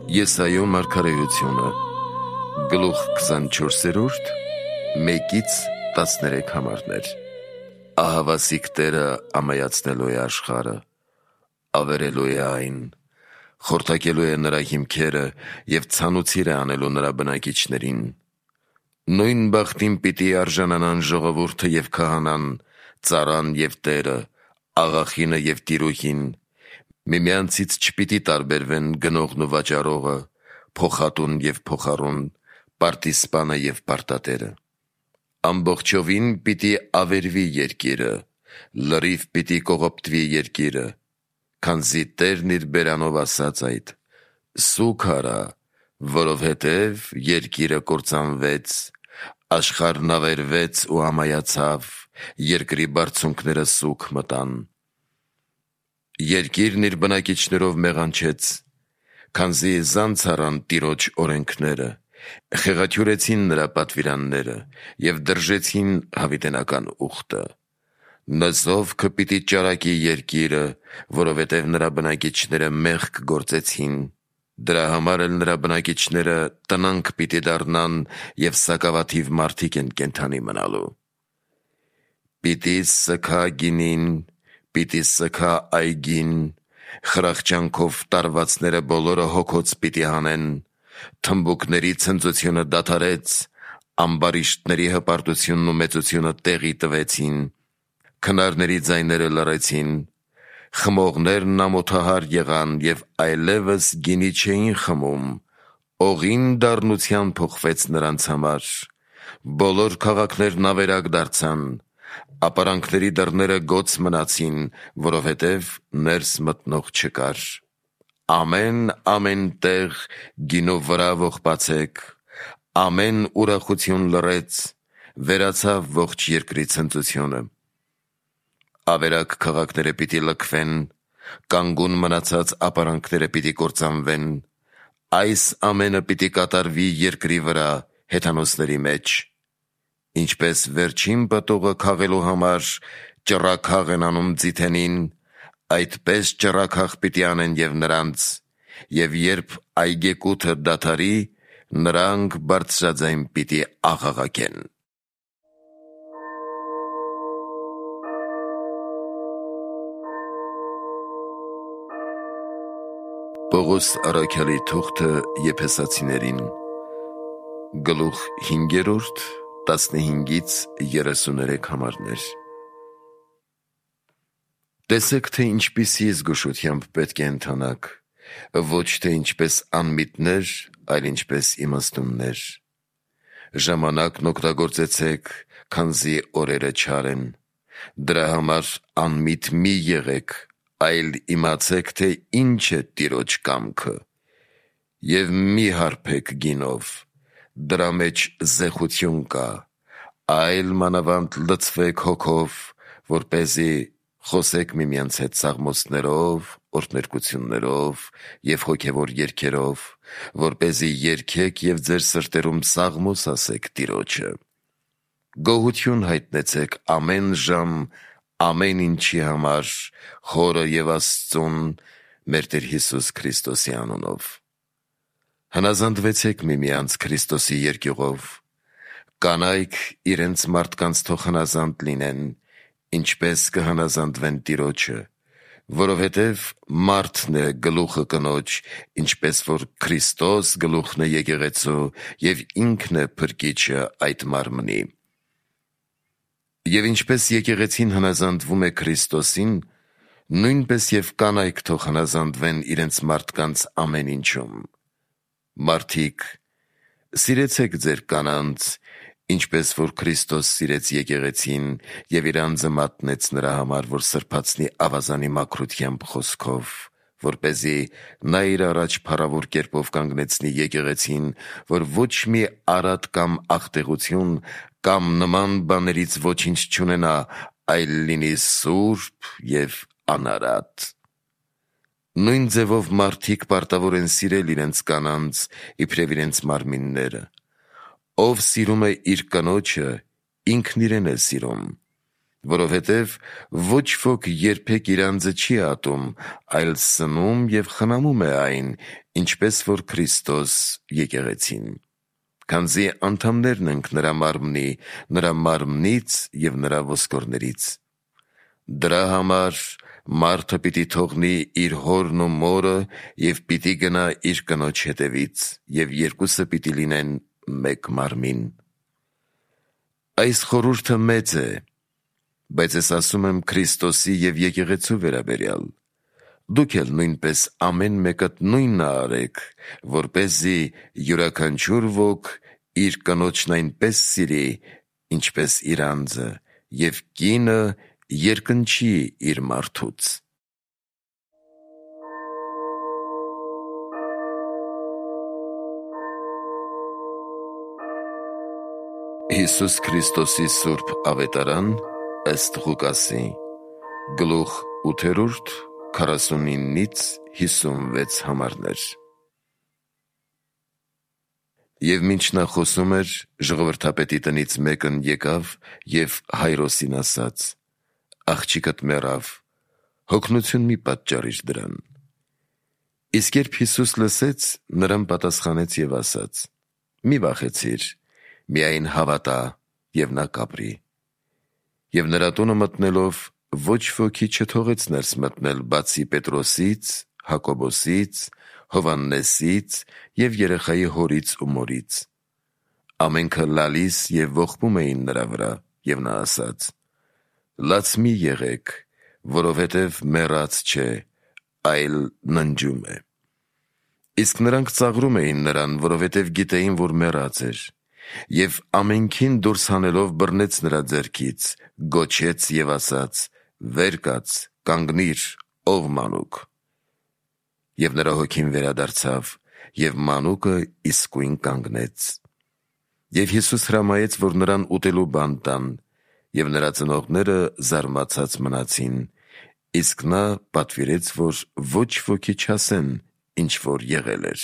Եսայո մարգարեությունը գլուխ 24, 1-13 համարներ։ Ահավասիկ Տերը ամայացնելու է աշխարհը, ավերելու է այն, խորթակելու է նրա հիմքերը և ցանուցիր է անելու նրա բնակիչներին։ Նույն բախտին պիտի արժանանան ժողովուրդը և քահանան, ծառան և տերը, աղախինը և տիրուհին, միմյանցից չպիտի տարբերվեն գնողն ու վաճառողը, փոխատուն և փոխառուն, պարտիսպանը և պարտատերը։ Ամբողջովին պիտի ավերվի երկիրը, լրիվ պիտի կողոպտվի երկիրը, քանզի Տերն իր բերանով ասաց այդ. «Սուգ արա, որովհետև երկիրը կործանվեց, աշխարհն ավերվեց ու ամայացավ, երկրի բարձունքները սուգ մտան»։ Երկիրն իր բնակիչներով մեղանչեց, քանզի զանց առան Տիրոջ օրենքները, խեղաթյուրեցին նրա պատվիրանները և դրժեցին հավիտենական ուխտը։ Նզովքը պիտի ճարակի երկիրը, որովհետև նրա բնակիչները մեղք գործեցին, դրա համար էլ նրա բնակիչները տնանկ պիտի դառնան և սակավաթիվ մարդիկ են կենդանի մնալու։ Պիտի սգա գինին, պիտի սգա այգին, խրախճանքով տարվածները բոլորը հոգոց պիտի հանեն, թմբուկների ցնծությունը դադարեց, ամբարիշտների հպարտությունն ու մեծությունը տեղի տվեցին, քնարների ձայները լռեցին, խմողներն ամոթահար եղան և այլևս գինի չէին խմում, օղին դառնության փոխվեց նրանց համար, բոլոր քաղաքներն ավերակ դարձան, ապարանքների դռները գոց մնացին, որովհետև ներս մտնող չկար։ Ամեն տեղ գինու վրա ողբացեք, ամեն ուրախություն լռեց, վերացավ ողջ երկրի ցնծությունը։ Ավերակ քաղաքները պիտի լքվեն, կանգուն մնացած ապարանքները պիտի կործանվեն, այս ամենը պիտի կատարվի երկրի վրա, հեթանոսների մեջ։ Ինչպես վերջին պտուղը քաղելու համար ճռաքաղ են անում ձիթենին, այդպես ճռաքաղ պիտի անեն և նրանց, և երբ այգեկութը դադարի, նրանք բարձրաձայն պիտի աղաղակեն։ Պողոս առաքյալի թուղթը Եփեսացիներին գլուխ 5, 15-33 համարներ։ Տեսեք, թե ինչպիսի զգուշությամբ պետք է ընթանաք, ոչ թե ինչպես անմիտներ, այլ ինչպես իմաստուններ։ Ժամանակն օգտագործեցեք, քանզի օրերը չար են։ Դրա համար անմիտ մի եղեք, այլ իմացեք, թե ինչ է Տիրոջ կամքը։ Եվ մի հարբեք գինով, դրա մեջ զեխություն կա, այլ մանավանդ լցվեք հոգով, որպեսզի խոսեք միմյանց հետ սաղմոսներով, օրհներկություններով և հոգևոր երգերով, որպեսզի երգեք և ձեր սրտերում սաղմոս ասեք Տիրոջը։ Գոհություն հայտնեցեք ամեն ժամ ամեն ինչի համար Հորը և Աստծուն, մեր Տեր Հիսուս Քրիստոսի անունով։ Հնազանդվեցեք միմյանց Քրիստոսի երկյուղով։ Կանայք իրենց մարդկանց թող հնազանդ լինեն, ինչպես կհնազանդվեն Տիրոջը, որովհետև մարդն է գլուխը կնոջ, ինչպես որ Քրիստոս գլուխն է եկեղեցու և ինքն է փրկիչը այդ մարմնի։ Եվ ինչպես եկեղեցին հնազանդվում է Քրիստոսին, նույնպես և կանայք թող հնազանդվեն իրենց մարդկանց ամեն ինչում։ Մարդիկ, սիրեցեք ձեր կանանց, ինչպես որ Քրիստոս սիրեց եկեղեցին և իր անձը մատնեց նրա համար, որ սրբացնի ավազանի մաքրությամբ խոսքով, որպեսզի նա իր առաջ փառավոր կերպով կանգնեցնի եկեղեցին, որ ոչ մի արատ կամ աղտեղություն կամ նման բաներից ոչինչ չունենա, այլ լինի սուրբ և անարատ։ Նույն ձևով մարդիկ պարտավոր են սիրել իրենց կանանց, իբրև իրենց մարմինները։ Ով սիրում է իր կնոջը, ինքն իրեն է սիրում։ որովհետև ոչ ոք երբեք իր անձը չի ատում, այլ սնում և խնամում է այն, ինչպես որ Քրիստոս եկեղեցին, քանզի անդամներն ենք նրա մարմնի, նրա մարմնից և նրա ոսկորներից։ Դրա համար մարդը պիտի թողնի իր հորն ու մորը և պիտի գնա իր կնոջ հետևից, և երկուսը պիտի լինեն մեկ մարմին։ Այս խորհուրդը մեծ է, բայց ես ասում եմ Քրիստոսի և եկեղեցու վերաբերյալ։ Դուք էլ նույնպես ամեն մեկդ նույնն արեք, որպեսզի յուրաքանչյուր ոք իր կնոջն այնպես սիրի, ինչպես իր անձը, և կինը երկնչի իր մարդուց։ Հիսուս Քրիստոսի սուրբ ավետարան ըստ Ղուկասի, գլուխ 8, 49-56 համարներ։ Եվ մինչ նա խոսում էր, ժողովրդապետի տնից մեկն եկավ և Հայրոսին ասաց. «Աղջիկդ մեռավ, հոգնություն մի պատճառիր դրան»։ Իսկ երբ Հիսուս լսեց, նրան պատասխանեց և ասաց. «Մի վախեցիր, միայն հավատա, և նա կապրի»։ Եվ նրա տունը մտնելով, ոչ ոքի չթողեց ներս մտնել, բացի Պետրոսից, Հակոբոսից, Հովհաննեսից և երեխայի հորից ու մորից։ Ամենքը լալիս և ողբում էին նրա վրա, և նա ասաց. «Լաց մի եղեք, որովհետև մեռած չէ, այլ ննջում է»։ Իսկ նրանք ծաղրում էին նրան, որովհետև գիտեին, որ մեռած էր, և ամենքին դուրս հանելով բռնեց նրա ձեռքից, գոչեց և ասաց. «Վեր կաց, կանգնիր, ով մանուկ»։ Եվ նրա հոգին վերադարձավ, և մանուկը իսկույն կանգնեց։ Եվ Հիսուս հրամայեց, որ նրան ուտելու բան տան, և նրա ծնողները զարմացած մնացին, իսկ նա պատվիրեց, որ ոչ ոքի չասեն, ինչ որ եղել էր։